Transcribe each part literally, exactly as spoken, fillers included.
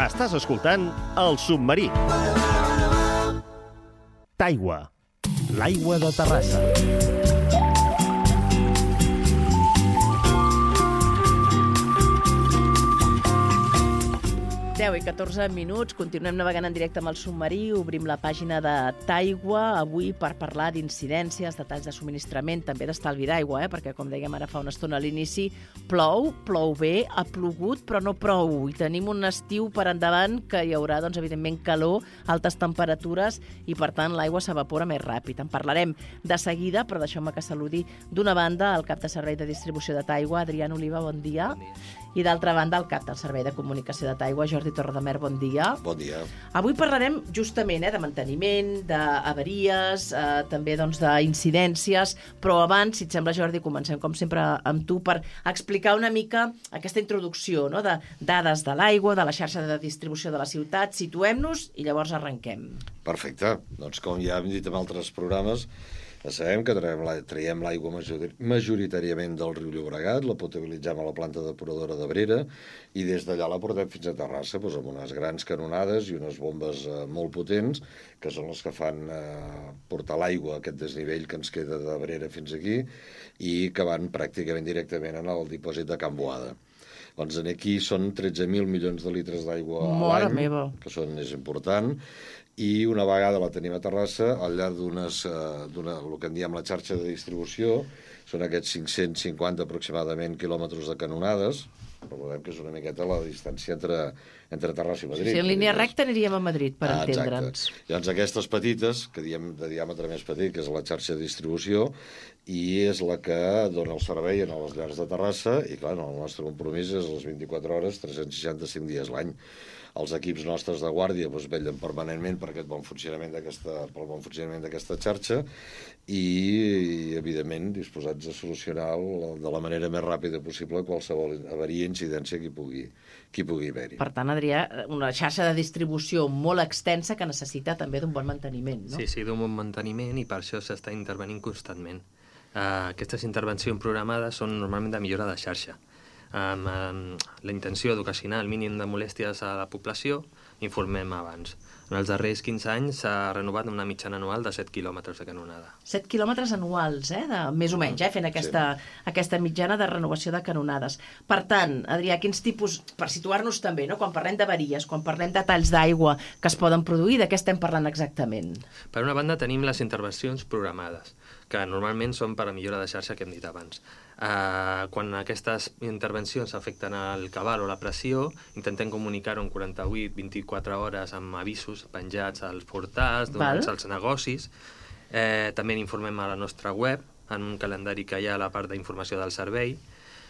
Estàs escoltant El Submarí. Taigua, l'aigua de Terrassa. deu i catorze minuts, continuem navegant en directe amb el submarí, obrim la pàgina de Taigua, avui per parlar d'incidències, detalls de subministrament, també d'estalvi d'aigua, eh? Perquè, com dèiem ara fa una estona a l'inici, plou, plou bé, ha plogut, però no prou, i tenim un estiu per endavant que hi haurà, doncs, evidentment, calor, altes temperatures, i, per tant, l'aigua s'evapora més ràpid. En parlarem de seguida, però deixeu-me que saludi d'una banda el cap de servei de distribució de Taigua, Adrián Oliva, bon dia. Bon dia. I d'altra banda, el cap del Servei de Comunicació de Taigua, Jordi Torredemer, bon dia. Bon dia. Avui parlarem justament eh, de manteniment, d'avaries, eh, també doncs, d'incidències, però abans, si et sembla, Jordi, comencem com sempre amb tu per explicar una mica aquesta introducció, no?, de dades de l'aigua, de la xarxa de distribució de la ciutat. Situem-nos i llavors arrenquem. Perfecte. Doncs com ja hem dit en altres programes, ja sabem que traiem l'aigua majoritàriament del riu Llobregat, la potabilitzem a la planta depuradora d'Abrera i des d'allà la portem fins a Terrassa doncs, amb unes grans canonades i unes bombes eh, molt potents que són les que fan eh, portar l'aigua a aquest desnivell que ens queda d'Abrera fins aquí i que van pràcticament directament en el dipòsit de Can Boada. Doncs aquí són tretze mil milions de litres d'aigua a l'any, que són, és important, i una vegada la tenim a Terrassa, al llarg d'unes, eh, d'una, el que en diem la xarxa de distribució, són aquests cinc-cents cinquanta aproximadament quilòmetres de canonades, recordem que és una miqueta la distància entre, entre Terrassa i Madrid. Sí, en línia recta aniríem a Madrid, per ah, entendre'ns. Llavors aquestes petites, que diem de diàmetre més petit, que és la xarxa de distribució, i és la que dona el servei a les llars de Terrassa, i clar, el nostre compromís és les vint-i-quatre hores, tres cents seixanta-cinc dies l'any. Els equips nostres de guàrdia doncs, vetllen permanentment per aquest bon funcionament d'aquesta, pel bon funcionament d'aquesta xarxa i, i, evidentment, disposats a solucionar de la manera més ràpida possible qualsevol avaria, incidència que hi pugui, que hi pugui haver-hi. Per tant, Adrià, una xarxa de distribució molt extensa que necessita també d'un bon manteniment, no? Sí, sí, d'un bon manteniment i per això s'està intervenint constantment. Uh, aquestes intervencions programades són normalment de millora de xarxa. Amb, amb la intenció d'ocasionar el mínim de molèsties a la població, informem abans. En els darrers quinze anys s'ha renovat una mitjana anual de set quilòmetres de canonada. set quilòmetres anuals, eh? De, més o menys, eh? Fent aquesta, sí. aquesta mitjana de renovació de canonades. Per tant, Adrià, quins tipus, per situar-nos també, no? Quan parlem d'avaries, quan parlem de talls d'aigua que es poden produir, de què estem parlant exactament? Per una banda tenim les intervencions programades, que normalment són per a millora de xarxa que hem dit abans. Uh, quan aquestes intervencions afecten el cabal o la pressió, intentem comunicar-ho en quaranta-vuit a vint-i-quatre hores amb avisos penjats als portals, donats als negocis. Eh, també n'informem a la nostra web, en un calendari que hi ha a la part d'informació del servei.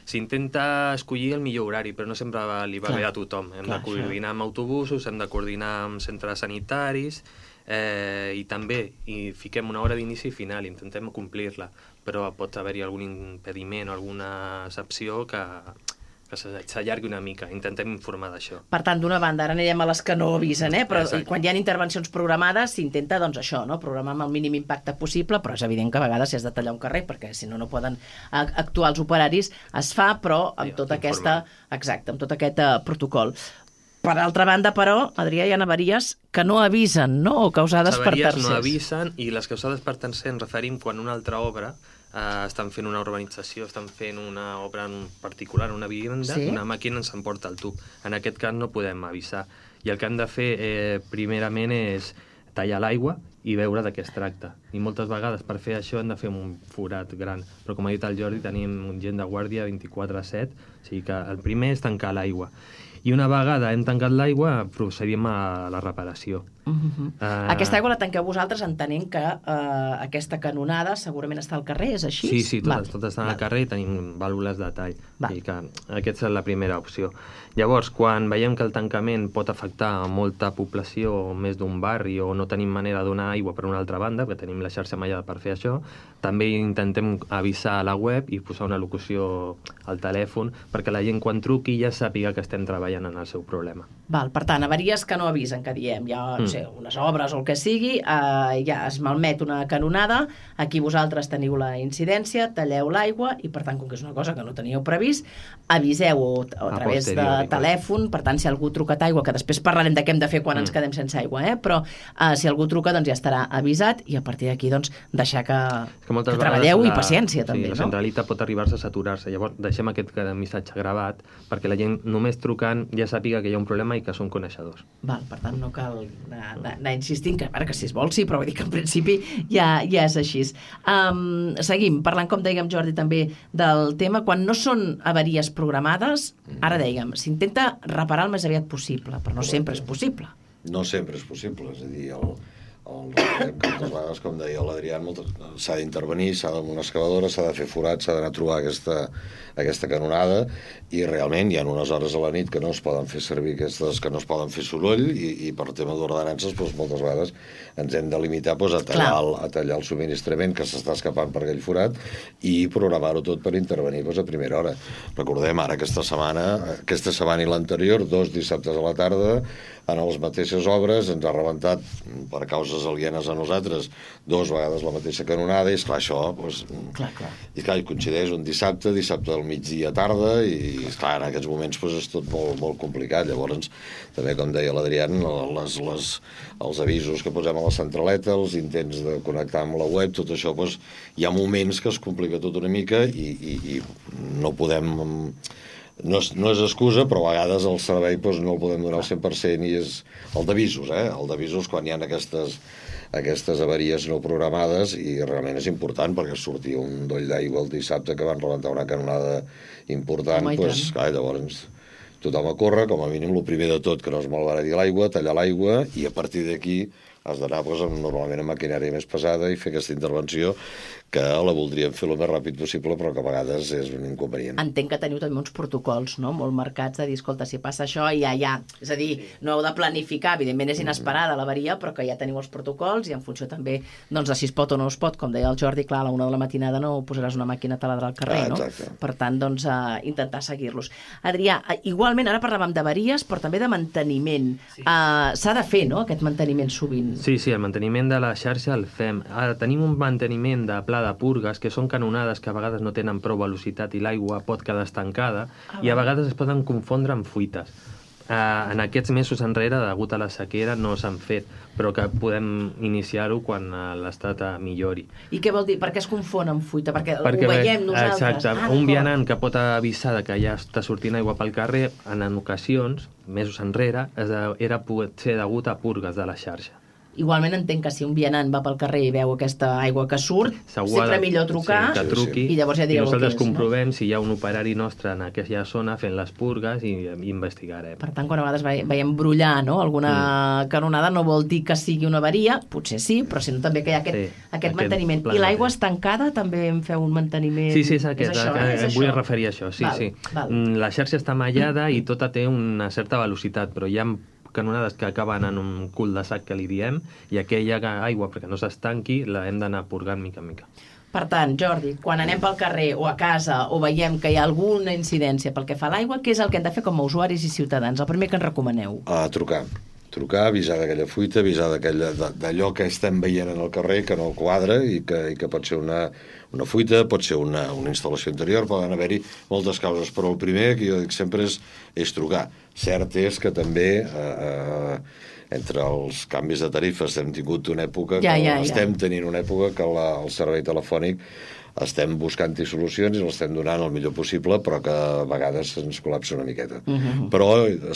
S'intenta escollir el millor horari, però no sempre va, li va clar, bé a tothom. Hem clar, de coordinar això. Amb autobusos, hem de coordinar amb centres sanitaris, eh, i també hi fiquem una hora d'inici i final, intentem complir-la, però pot haver-hi algun impediment o alguna excepció que, que s'allargui una mica. Intentem informar d'això. Per tant, d'una banda, ara anirem a les que no avisen, eh? Però quan hi ha intervencions programades s'intenta, doncs, això, no? Programar amb el mínim impacte possible, però és evident que a vegades si has de tallar un carrer, perquè si no, no poden actuar els operaris, es fa, però amb tota aquesta... Exacte, amb tot aquest uh, protocol. Per altra banda, però, Adrià, hi ha avaries que no avisen, no? O causades per tercers. Les avaries no avisen i les causades per tercers ens referim quan una altra obra eh, estan fent una urbanització, estan fent una obra en particular, una vivenda, sí? Una màquina ens emporta el tub. En aquest cas no podem avisar. I el que hem de fer, eh, primerament, és tallar l'aigua i veure de què es tracta. I moltes vegades per fer això hem de fer un forat gran. Però com ha dit el Jordi, tenim gent de guàrdia vint-i-quatre a set, o sigui que el primer és tancar l'aigua. I una vegada hem tancat l'aigua, procedim a la reparació. Uh-huh. Uh... Aquesta aigua la tanqueu vosaltres entenent que uh, aquesta canonada segurament està al carrer, és així? Sí, sí, totes, totes estan al carrer i tenim vàlvules de tall. I que aquesta és la primera opció. Llavors, quan veiem que el tancament pot afectar a molta població, més d'un barri, o no tenim manera de donar aigua per una altra banda, perquè tenim la xarxa mallada per fer això. També intentem avisar a la web i posar una locució al telèfon perquè la gent quan truqui ja sàpiga que estem treballant en el seu problema. Val, per tant, avaries que no avisen, que diem, hi ha no sé, unes obres o el que sigui, eh, ja es malmet una canonada, aquí vosaltres teniu la incidència, talleu l'aigua i, per tant, com que és una cosa que no teníeu previst, aviseu-ho a, a través de telèfon, per tant, si algú ha trucat aigua, que després parlarem de què hem de fer quan mm. ens quedem sense aigua, eh? Però eh, si algú truca, doncs ja estarà avisat i a partir d'aquí, doncs, deixar que, que, que treballeu la, i paciència, sí, també, la no? La centralitat pot arribar-se a saturar-se, llavors deixem aquest missatge gravat perquè la gent només trucant ja sàpiga que hi ha un problema i que són coneixedors. Val, per tant, no cal anar, anar insistint, que, que si es vol sí, però vull dir que en principi ja, ja és així. Um, seguim, parlant, com dèiem, Jordi, també del tema, quan no són avaries programades, ara dèiem, s'intenta reparar el més aviat possible, però no sempre és possible. No sempre és possible, és a dir, el, el, que moltes vegades, com deia l'Adrián, s'ha d'intervenir, s'ha d'una excavadora, s'ha de fer forat, s'ha d'anar a trobar aquesta, aquesta canonada, i realment hi ha unes hores a la nit que no es poden fer servir aquestes, que no es poden fer soroll, i, i per tema d'ordenances, doncs, moltes vegades ens hem de limitar doncs, a, tallar el, a tallar el subministrament que s'està escapant per aquell forat i programar-ho tot per intervenir doncs, a primera hora. Recordem ara aquesta setmana, aquesta setmana i l'anterior, dos dissabtes a la tarda, en les mateixes obres, ens ha rebentat per causes alienes a nosaltres dues vegades la mateixa canonada, i esclar, això doncs, clar, clar. I clar, coincideix un dissabte, dissabte al migdia tarda, i esclar, en aquests moments doncs, és tot molt, molt complicat. Llavors, també, com deia l'Adrián, les, les, els avisos que posem a la centraleta, els intents de connectar amb la web, tot això, doncs, hi ha moments que es complica tot una mica i, i, i no podem... No és, no és excusa, però a vegades el servei doncs, no el podem donar al cent per cent, i és el d'avisos, eh? El d'avisos quan hi ha aquestes, aquestes avaries no programades, i realment és important perquè sortia un doll d'aigua el dissabte que van rebentar una canonada important, oh, doncs, clar, llavors tothom a córrer, com a mínim el primer de tot que no es malbarati l'aigua, tallar l'aigua, i a partir d'aquí has d'anar doncs, normalment amb maquinària més pesada i fer aquesta intervenció que la voldríem fer el més ràpid possible, però que a vegades és un inconvenient. Entenc que teniu també uns protocols, no?, molt marcats de dir, escolta, si passa això, ja, ja. És a dir, no heu de planificar, evidentment és inesperada l'avaria, però que ja teniu els protocols i en funció també doncs, de si es pot o no es pot, com deia el Jordi, clar, a la una de la matinada no posaràs una màquina taladra al carrer, ah, no? Per tant, doncs, uh, intentar seguir-los. Adrià, igualment, ara parlàvem d'avaries, però també de manteniment. Sí. Uh, s'ha de fer, no?, aquest manteniment sovint. Sí, sí, el manteniment de la xarxa el fem. Ara tenim un manteniment de pla de purgues, que són canonades que a vegades no tenen prou velocitat i l'aigua pot quedar estancada, ah, i a vegades es poden confondre amb fuites. Uh, en aquests mesos enrere, degut a la sequera, no s'han fet, però que podem iniciar-ho quan uh, l'estat uh, millori. I què vol dir? Per què es confon amb fuita? Perquè, Perquè ho veiem nosaltres. Exacte. Ah, un vianant que pot avisar que ja està sortint aigua pel carrer, en, en ocasions, mesos enrere, era potser degut a purgues de la xarxa. Igualment entenc que si un vianant va pel carrer i veu aquesta aigua que surt, sempre millor trucar, sí, que truqui, i llavors ja direu i nosaltres el que és, comprovem no? si hi ha un operari nostre en aquella zona fent les purgues i, i investigarem. Per tant, quan a vegades veiem brollar, no?, alguna mm. canonada, no vol dir que sigui una avaria, potser sí, però sinó també que hi ha aquest, sí, aquest, aquest manteniment. I l'aigua estancada també en feu un manteniment? Sí, sí, és aquest, és això, eh? és vull això? referir a això, sí, val, sí. Val. La xarxa està mallada i tota té una certa velocitat, però hi ha canonades que acaben en un cul de sac que li diem, i aquella aigua, perquè no s'estanqui, la hem d'anar purgant mica en mica. Per tant, Jordi, quan anem pel carrer o a casa o veiem que hi ha alguna incidència pel que fa a l'aigua, què és el que hem de fer com a usuaris i ciutadans? El primer que ens recomaneu? A trucar. Trucar, avisar d'aquella fuita, avisar d'allò que estem veient en el carrer que no quadra i que, i que pot ser una, una fuita, pot ser una, una instal·lació interior, poden haver-hi moltes causes, però el primer que jo dic sempre és, és trucar. Cert és que també eh, eh, entre els canvis de tarifes hem tingut una època, ja, que ja, estem ja. tenint una època que la, el servei telefònic estem buscant-hi solucions i l'estem donant el millor possible, però que a vegades ens col·lapsa una miqueta. Uh -huh. Però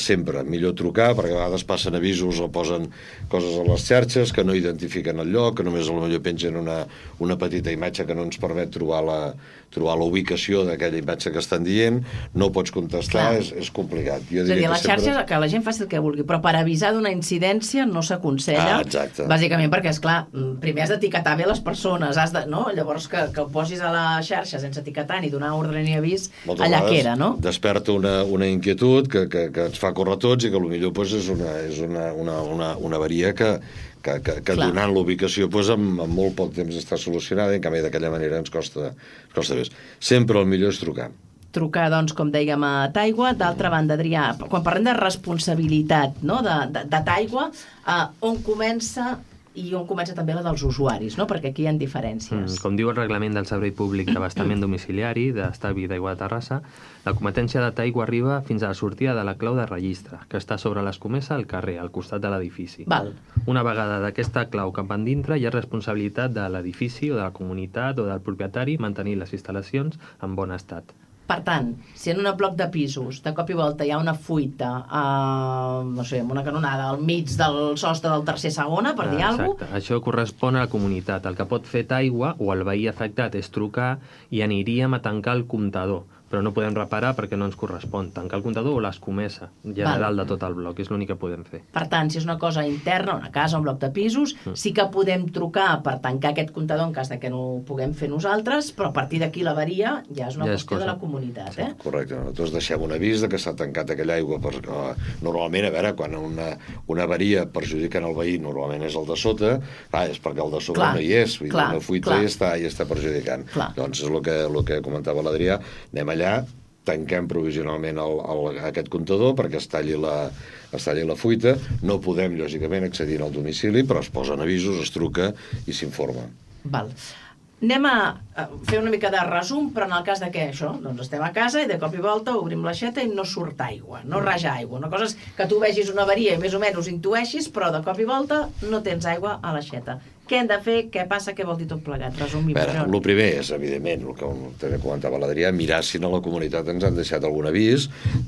sempre millor trucar, perquè a vegades passen avisos o posen coses a les xarxes que no identifiquen el lloc, que només potser pengen una, una petita imatge que no ens permet trobar la, trobar la ubicació d'aquella imatge que estan dient, no pots contestar, és, és complicat. Jo és a dir, a les sempre... xarxes que la gent faci el que vulgui, però per avisar d'una incidència no s'aconsella, ah, exacte. bàsicament perquè, esclar, primer has d'etiquetar bé les persones, has de, no? Llavors que, que ho posin posis a la xarxa sense etiquetar ni donar ordre ni avís, Moltes allà vegades queda, no? Desperta una, una inquietud que, que, que ens fa córrer tots i que potser pues, és, una, és una, una, una, una avaria que, que, que, que donant l'ubicació pues, amb, amb molt poc temps està solucionada i en canvi d'aquella manera ens costa, ens costa més. Sempre el millor és trucar. Trucar, doncs, com dèiem, a Taigua. D'altra banda, Adrià, quan parlem de responsabilitat, no?, de, de, de Taigua, eh, on comença i on comença també la dels usuaris, no?, perquè aquí hi ha diferències. Mm, com diu el reglament del Servei Públic d'Abastament Domiciliari d'Estalvi d'Aigua de Terrassa, la competència de Taigua arriba fins a la sortida de la clau de registre, que està sobre l'escomesa al carrer, al costat de l'edifici. Val. Una vegada d'aquesta clau cap endintre, hi ha responsabilitat de l'edifici o de la comunitat o del propietari mantenir les instal·lacions en bon estat. Per tant, si en un bloc de pisos de cop i volta hi ha una fuita, eh, no sé, amb una canonada al mig del sostre del tercer segona, per dir alguna cosa... Exacte. Això correspon a la comunitat. El que pot fer Taigua o el veí afectat és trucar i aniríem a tancar el comptador, però no podem reparar perquè no ens correspon. Tancar el comptador o l'escomesa general Val. de tot el bloc, és l'únic que podem fer. Per tant, si és una cosa interna, una casa, un bloc de pisos, mm. sí que podem trucar per tancar aquest comptador en cas de que no ho puguem fer nosaltres, però a partir d'aquí l'avaria ja és una ja és qüestió cosa. de la comunitat. Sí. Eh? Correcte. Nosaltres deixem un avís de que s'ha tancat aquella aigua. Per, uh, normalment, a veure, quan una, una avaria perjudica el veí, normalment és el de sota, ah, és perquè el de sobre clar, no hi és, vull clar, dir, una fuita i està, i està perjudicant. Clar. Doncs és el que, el que comentava l'Adrià, anem allà, tanquem provisionalment el, el, aquest comptador perquè es talli, la, es talli la fuita. No podem, lògicament, accedir al domicili, però es posen avisos, es truca i s'informa. Val. Anem a fer una mica de resum, però en el cas de què això? Doncs estem a casa i de cop i volta obrim l'aixeta i no surt aigua, no raja aigua. Una cosa és que tu vegis una avaria i més o menys intueixis, però de cop i volta no tens aigua a l'aixeta. Què hem de fer? Què passa? Què vol dir tot plegat? Resumim. El primer és, evidentment, el que també comentava l'Adrià, mirar si a la comunitat ens han deixat algun avís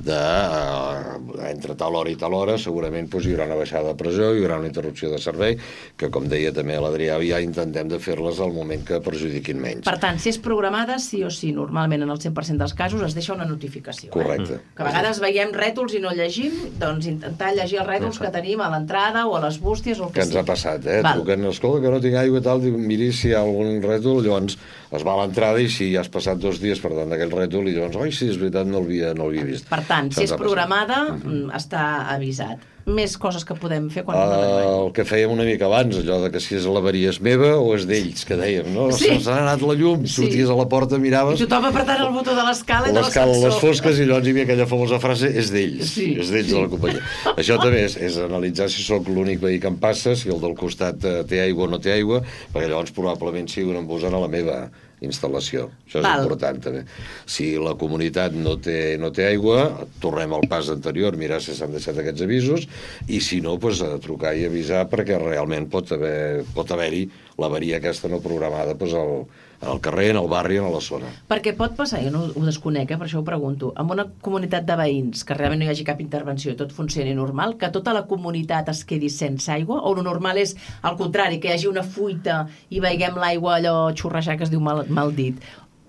de, eh, entre tal hora i tal hora, segurament doncs, hi haurà una baixada de pressió, hi haurà una interrupció de servei, que, com deia també l'Adrià, ja intentem de fer-les al moment que perjudiquin menys. Per tant, si és programada, sí o sí, normalment en el cent per cent dels casos es deixa una notificació. Correcte. Eh? Que a vegades veiem rètols i no llegim, doncs intentar llegir els rètols que tenim a l'entrada o a les bústies o el que, que ens sigui. ha passat, eh? Truquen, escolta, que no tinc aigua i tal, miri si hi ha algun rètol, llavors es va a l'entrada i si ja has passat dos dies per tant d'aquell rètol i llavors, oi, sí, és veritat, no l'havia no vist. Per tant, si és programada, uh-huh. està avisat. Més coses que podem fer quan uh, no tenim aigua. El que fèiem una mica abans, allò de que si és l'avaria és meva o és d'ells, que dèiem, no? Sí. Se'ns ha anat la llum, sí. Sorties a la porta, miraves... I tothom apretant el botó de l'escala i de l'ascensor. L'escala, les fosques, i llavors hi havia aquella famosa frase, és d'ells, sí. és d'ells sí. de la companyia. Això també és, és analitzar si sóc l'únic veí que em passa, si el del costat té aigua o no té aigua, perquè llavors probablement sigui un embusant a la meva instal·lació. Això és Val. important també. Si la comunitat no té, no té aigua, tornem al pas anterior, mirar si s'han deixat aquests avisos, i si no, doncs, a trucar i avisar perquè realment pot haver, pot haver-hi l'avaria aquesta no programada doncs, al, al carrer, en el barri, en la zona. Perquè pot passar, jo no ho desconec, eh, per això ho pregunto, amb una comunitat de veïns que realment no hi hagi cap intervenció i tot funcioni normal, que tota la comunitat es quedi sense aigua, o el normal és al contrari, que hi hagi una fuita i veiguem l'aigua allò xorrejar que es diu mal, mal dit.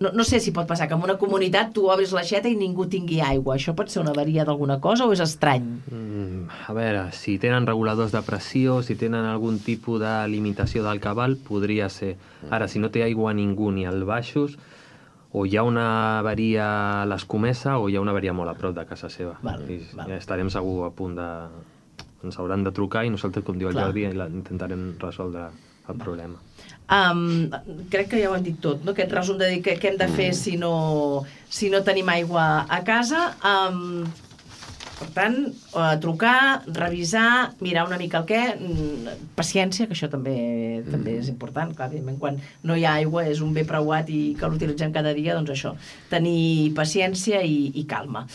No, no sé si pot passar que en una comunitat tu obris l'aixeta i ningú tingui aigua. Això pot ser una avaria d'alguna cosa o és estrany? Mm, a veure, si tenen reguladors de pressió, si tenen algun tipus de limitació del cabal, podria ser. Ara, si no té aigua ningú ni al baixos, o hi ha una avaria a l'escomesa o hi ha una avaria molt a prop de casa seva. Val, I val. Ja estarem segur a punt de... Ens hauran de trucar i nosaltres, com diu el Clar. Jordi, intentarem resoldre el problema. Um, crec que ja ho han dit tot, no? Aquest resum de dir que, què hem de fer si no, si no tenim aigua a casa. Um, per tant, uh, trucar, revisar, mirar una mica el què, paciència, que això també, mm. també és important. Clar, quan no hi ha aigua és un bé preuat i que l'utilitzem cada dia, doncs això, tenir paciència i, i calma.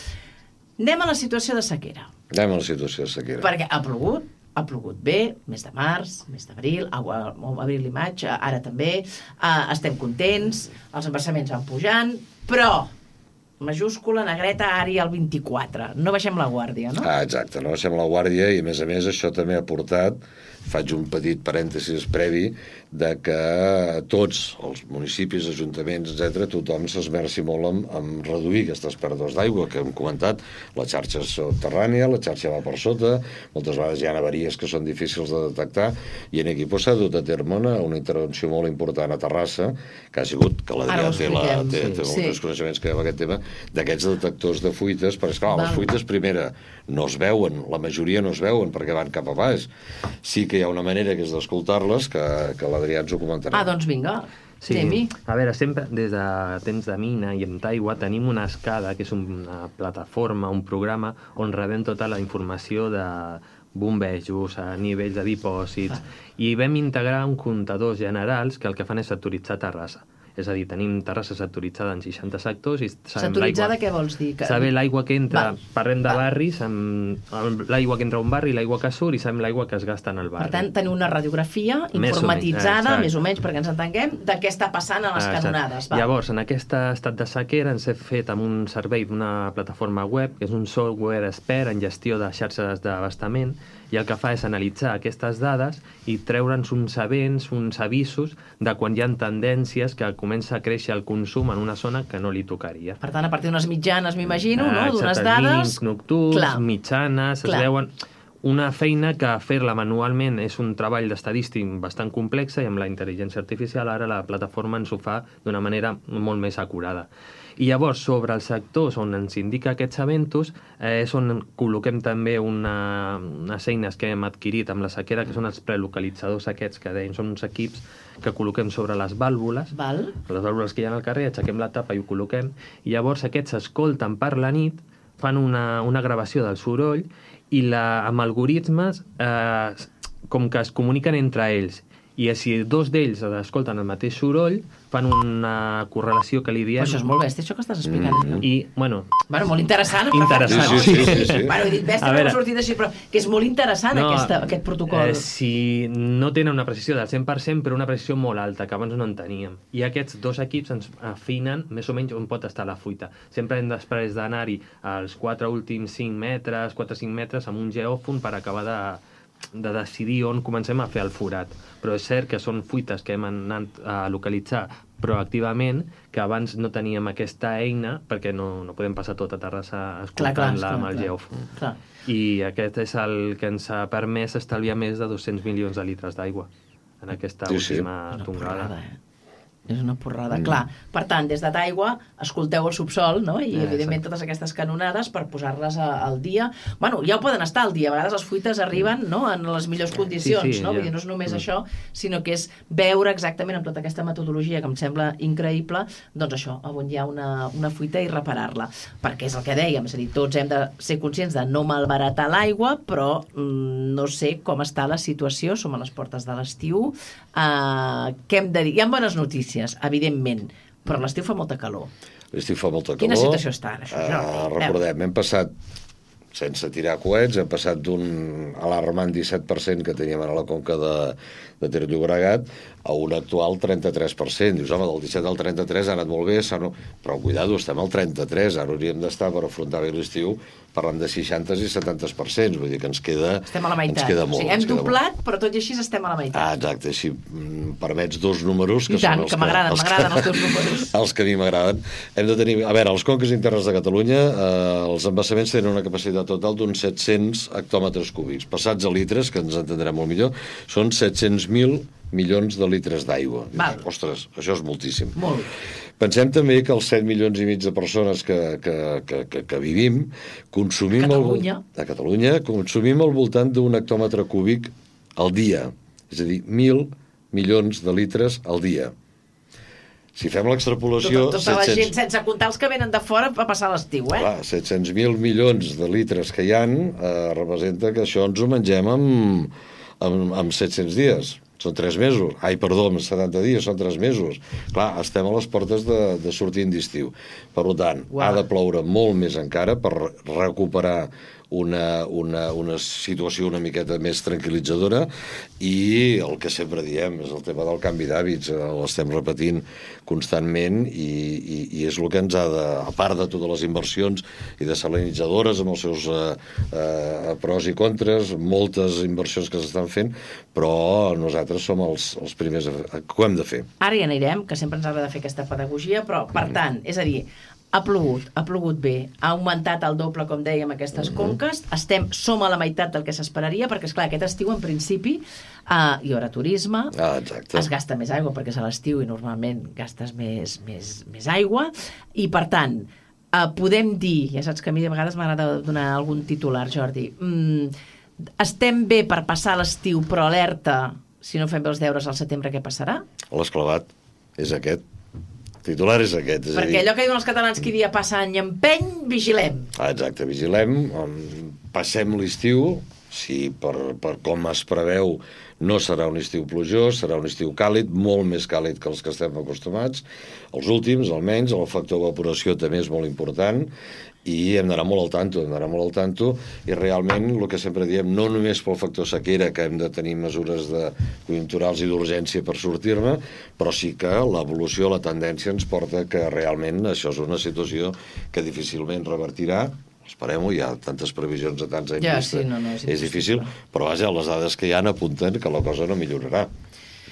Anem a la situació de sequera. Anem a la situació de sequera. Perquè ha plogut, ha plogut bé, mes de març, mes d'abril, abril i maig, ara també, uh, estem contents, els embassaments van pujant, però, majúscula, negreta, àrea al vint-i-quatre. No baixem la guàrdia, no? Ah, exacte, no baixem la guàrdia i, a més a més, això també ha portat faig un petit parèntesis previ de que tots els municipis, ajuntaments, etcètera, tothom s'esmerci molt en, en reduir aquestes pèrdues d'aigua que hem comentat. La xarxa és subterrània, la xarxa va per sota, moltes vegades hi ha avaries que són difícils de detectar, i en aquí s'ha dut a terme una, una intervenció molt important a Terrassa, que ha sigut, que l'Adrià té, la, té, té molts sí. coneixements que hi ha en aquest tema, d'aquests detectors de fuites, perquè, esclar, les fuites, primera, no es veuen, la majoria no es veuen perquè van cap a baix. Sí que hi ha una manera que és d'escoltar-les, que, que l'Adrià ens ho comentarà. Ah, doncs vinga. Sí. A veure, sempre des de temps de mina i en Taigua tenim una escada, que és una plataforma, un programa on rebem tota la informació de bombejos, a nivells de dipòsits, ah. i vam integrar un comptadors generals que el que fan és sectoritzar Terrassa. És a dir, tenim Terrassa sectoritzada en seixanta sectors i sabem sectoritzada què vols dir? Que... Saber l'aigua que entra, Val. parlem de Val. barris, amb l'aigua que entra a un barri, l'aigua que surt i sabem l'aigua que es gasta en el barri. Per tant, tenim una radiografia Més informatitzada, o menys, més o menys, perquè ens entenguem, de què està passant a les Exacte. canonades. Val. Llavors, en aquest estat de sequera ens hem fet amb un servei d'una plataforma web, que és un software expert en gestió de xarxes d'abastament, i el que fa és analitzar aquestes dades i treure'ns uns events, uns avisos de quan hi ha tendències que comença a créixer el consum en una zona que no li tocaria. Per tant, a partir d'unes mitjanes, m'imagino, Ah, no? D'unes exacte, dades... mínims nocturns, Clar. mitjanes, Clar. es veuen... Una feina que fer-la manualment és un treball d'estadístic bastant complex i amb la intel·ligència artificial ara la plataforma ens ho fa d'una manera molt més acurada. I llavors, sobre els sectors on ens indica aquests eventos, eh, és on col·loquem també una, unes eines que hem adquirit amb la sequera, que són els prelocalitzadors aquests, que dèiem, són uns equips que col·loquem sobre les vàlvules, Val. les vàlvules que hi ha al carrer, aixequem la tapa i ho col·loquem, i llavors aquests s'escolten per la nit, fan una, una gravació del soroll, i la, amb algoritmes eh, com que es comuniquen entre ells, i si dos d'ells escolten el mateix soroll, fan una correlació que li diem... Però això és molt bèstia, això que estàs explicant. Mm. I, bueno... Bueno, molt interessant. Interessant. Sí, sí, sí, sí, sí. Bueno, he dit bèstia, no m'ha sortit així, però que és molt interessant No, aquesta, aquest protocol. Eh, si no tenen una precisió del cent per cent, però una precisió molt alta, que abans no en teníem. I aquests dos equips ens afinen més o menys on pot estar la fuita. Sempre hem després d'anar-hi als quatre últims cinc metres, quatre o cinc metres, amb un geòfon per acabar de... de decidir on comencem a fer el forat. Però és cert que són fuites que hem anat a localitzar proactivament, que abans no teníem aquesta eina, perquè no, no podem passar tota Terrassa escoltant-la amb el geòfon. Clar. I aquest és el que ens ha permès estalviar més de dos-cents milions de litres d'aigua en aquesta Sí, sí. última Una tongada. porrada, eh? És una porrada, Mm. clar. Per tant, des de Taigua, escolteu el subsol, no? I, Eh, evidentment, exacte. totes aquestes canonades per posar-les a- al dia. Bueno, ja ho poden estar al dia. A vegades les fuites arriben, no?, en les millors condicions, Sí, sí, no? ja. Vull dir, no és només Mm. això, sinó que és veure exactament amb tota aquesta metodologia que em sembla increïble, doncs això, on hi ha una, una fuita i reparar-la. Perquè és el que dèiem, és a dir, tots hem de ser conscients de no malbaratar l'aigua, però mm, no sé com està la situació, som a les portes de l'estiu. Uh, què hem de dir? Hi ha bones notícies, evidentment, però l'estiu fa molta calor. L'estiu fa molta calor. Quina situació està ara, això, Uh, Jordi? recordem, hem passat, sense tirar coets, hem passat d'un alarmant disset per cent que teníem a la conca de, de Ter Llobregat a un actual trenta-tres per cent. Dius, home, del disset al trenta-tres ha anat molt bé, no... però cuidado, estem al trenta-tres, ara hauríem d'estar per afrontar bé l'estiu parlant de seixanta i setanta per cent, vull dir que ens queda, Estem a la meitat. ens queda molt. O sigui, hem ens queda doblat, molt. però tot i així estem a la meitat. Ah, exacte, si mm, permets dos números que I tant, són els que m'agraden, els m'agraden els teus números. Els que a mi m'agraden. Hem de tenir... A veure, els conques internes de Catalunya, eh, els embassaments tenen una capacitat total d'uns set-cents hectòmetres cúbics. Passats a litres, que ens entendrem molt millor, són set-cents mil milions de litres d'aigua. Val. Ostres, això és moltíssim. Molt. Pensem també que els set milions i mig de persones que, que, que, que, que vivim consumim... Catalunya. El, a Catalunya consumim al voltant d'un hectòmetre cúbic al dia. És a dir, mil milions de litres al dia. Si fem l'extrapolació... Tota, tota la gent, sense comptar els que venen de fora, va passar l'estiu, eh? Clar, set-cents mil milions de litres que hi han eh, representa que això ens ho mengem amb, amb, amb set-cents dies. Són tres mesos. Ai, perdó, amb setanta dies, són tres mesos. Clar, estem a les portes de, de sortir d'estiu. Per tant, Uau. ha de ploure molt més encara per recuperar una, una, una situació una miqueta més tranquil·litzadora, i el que sempre diem és el tema del canvi d'hàbits, l'estem repetint constantment, i, i, i és el que ens ha de, a part de totes les inversions i desalinitzadores amb els seus eh, eh, pros i contres, moltes inversions que s'estan fent, però nosaltres som els, els primers que ho hem de fer. Ara hi anirem, que sempre ens agrada fer aquesta pedagogia, però, per tant, és a dir, ha plogut, ha plogut bé, ha augmentat el doble, com dèiem, aquestes mm-hmm. conques, estem, som a la meitat del que s'esperaria, perquè, esclar, aquest estiu, en principi, uh, hi haurà turisme, ah, es gasta més aigua, perquè és a l'estiu i normalment gastes més, més, més aigua, i, per tant, uh, podem dir, ja saps que a mi de vegades m'agrada donar algun titular, Jordi, mm, estem bé per passar l'estiu, però alerta, si no fem bé els deures al setembre, què passarà? L'esclavat és aquest. Titular és aquest. És Perquè dir... allò que diuen els catalans, qui dia passa any empeny, vigilem. Ah, exacte, vigilem, passem l'estiu, si per, per com es preveu no serà un estiu plujós, serà un estiu càlid, molt més càlid que els que estem acostumats, els últims, almenys, el factor evaporació també és molt important, i hem d'anar molt al tanto, hem d'anar molt al tanto, i realment, el que sempre diem, no només pel factor sequera, que hem de tenir mesures de conjunturals i d'urgència per sortir-ne, però sí que l'evolució, la tendència ens porta que realment això és una situació que difícilment revertirà. Esperem-ho, hi ha tantes previsions a tants anys ja, vista, sí, no, no, és, és difícil, però vaja, les dades que hi ha apunten que la cosa no millorarà.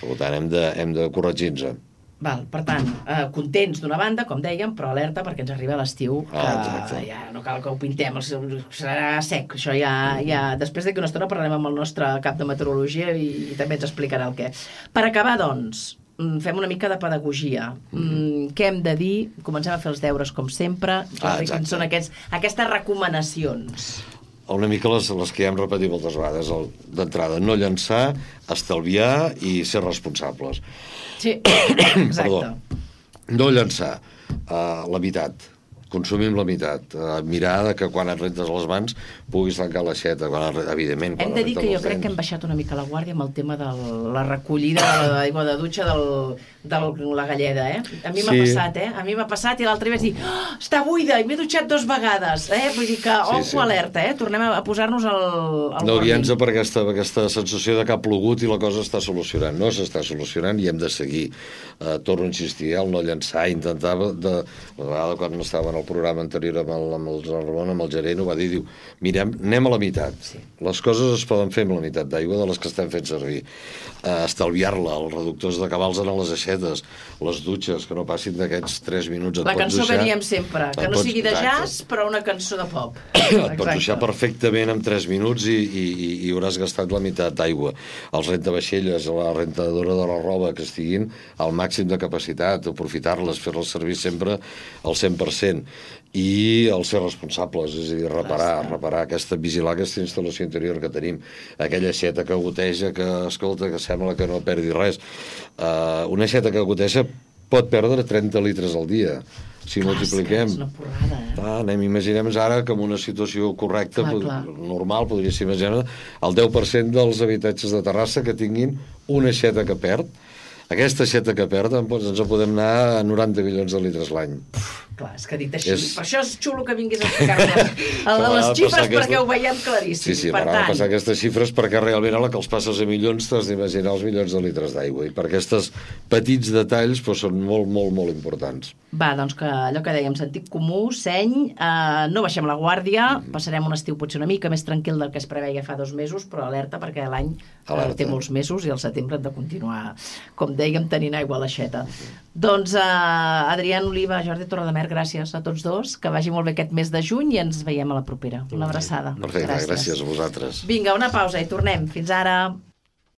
Per tant, hem de, hem de corregir-nos. Val, per tant, eh, contents d'una banda, com dèiem, però alerta perquè ens arriba l'estiu, que ah, ja no cal que ho pintem, serà sec, això ja, ja... Després d'aquí una estona parlarem amb el nostre cap de meteorologia i, i també ens explicarà el què. Per acabar, doncs, fem una mica de pedagogia. Mm, què hem de dir? Comencem a fer els deures com sempre. Ah, quins són aquests, aquestes recomanacions? Una mica les, les que ja hem repetit moltes vegades. D'entrada, no llançar, estalviar i ser responsables. Sí, exacte. Perdó. No llançar uh, la meitat. Consumim la meitat. Uh, mirar que quan et rentes les mans puguis tancar l'aixeta. Quan, evidentment, quan hem de dir que jo dents. crec que hem baixat una mica la guàrdia amb el tema de la recollida de l'aigua de dutxa del, de la galleda, eh? A mi m'ha sí. passat, eh? A mi m'ha passat i l'altre dia vaig dir oh, està buida i m'he dutxat dos vegades, eh? Vull dir que, ojo, sí, sí. alerta, eh? Tornem a posar-nos al, al no guiant-nos per aquesta, aquesta sensació de que ha plogut i la cosa està solucionant. No s'està solucionant i hem de seguir. Uh, torno a insistir, el no llançar, intentar de, la vegada quan estava en el programa anterior amb el, amb el Ramon, amb el gerent, ho va dir, diu, mirem, anem a la meitat. Sí. Les coses es poden fer amb la meitat d'aigua de les que estem fent servir. Uh, estalviar-la, els reductors de cabals en les aixetes, les dutxes, que no passin d'aquests tres minuts. Et la cançó duixar, que diem sempre, que no pots, sigui de jazz, però una cançó de pop. Et pots duixar perfectament en tres minuts i, i, i hauràs gastat la meitat d'aigua. Els rentavaixelles, la rentadora de la roba, que estiguin al màxim de capacitat, aprofitar-les, fer-les servir sempre al cent per cent. I els ser responsables, és a dir, reparar, reparar aquesta, vigilar aquesta instal·lació interior que tenim, aquella aixeta que goteja, que, escolta, que sembla que no perdi res. Uh, una aixeta que goteja pot perdre trenta litres al dia. Si clar, multipliquem... És una porrada, eh? Ah, anem, imaginem ara que en una situació correcta, clar, clar. normal, podria ser imaginar, el deu per cent dels habitatges de Terrassa que tinguin una aixeta que perd. Aquesta aixeta que perd, doncs ens en podem anar a noranta milions de litres l'any. Clar, és que dit així, és... per això és xulo que vinguis a explicar-nos a les xifres perquè aquesta... ho veiem claríssim. Sí, sí, per tant... passar aquestes xifres perquè realment a la que els passes a milions t'has d'imaginar els milions de litres d'aigua i per aquests petits detalls doncs, són molt, molt, molt importants. Va, doncs que allò que dèiem, sentit comú, seny, eh, no baixem la guàrdia, mm. passarem un estiu potser una mica més tranquil del que es preveia fa dos mesos, però alerta perquè l'any eh, té molts mesos i al setembre hem de continuar, com dèiem, tenint aigua a l'aixeta. Mm. Doncs eh, Adrián Oliva, Jordi Torredemer, gràcies a tots dos, que vagi molt bé aquest mes de juny i ens veiem a la propera. Una abraçada. Perfecte, gràcies, gràcies a vosaltres. Vinga, una pausa i tornem. Fins ara.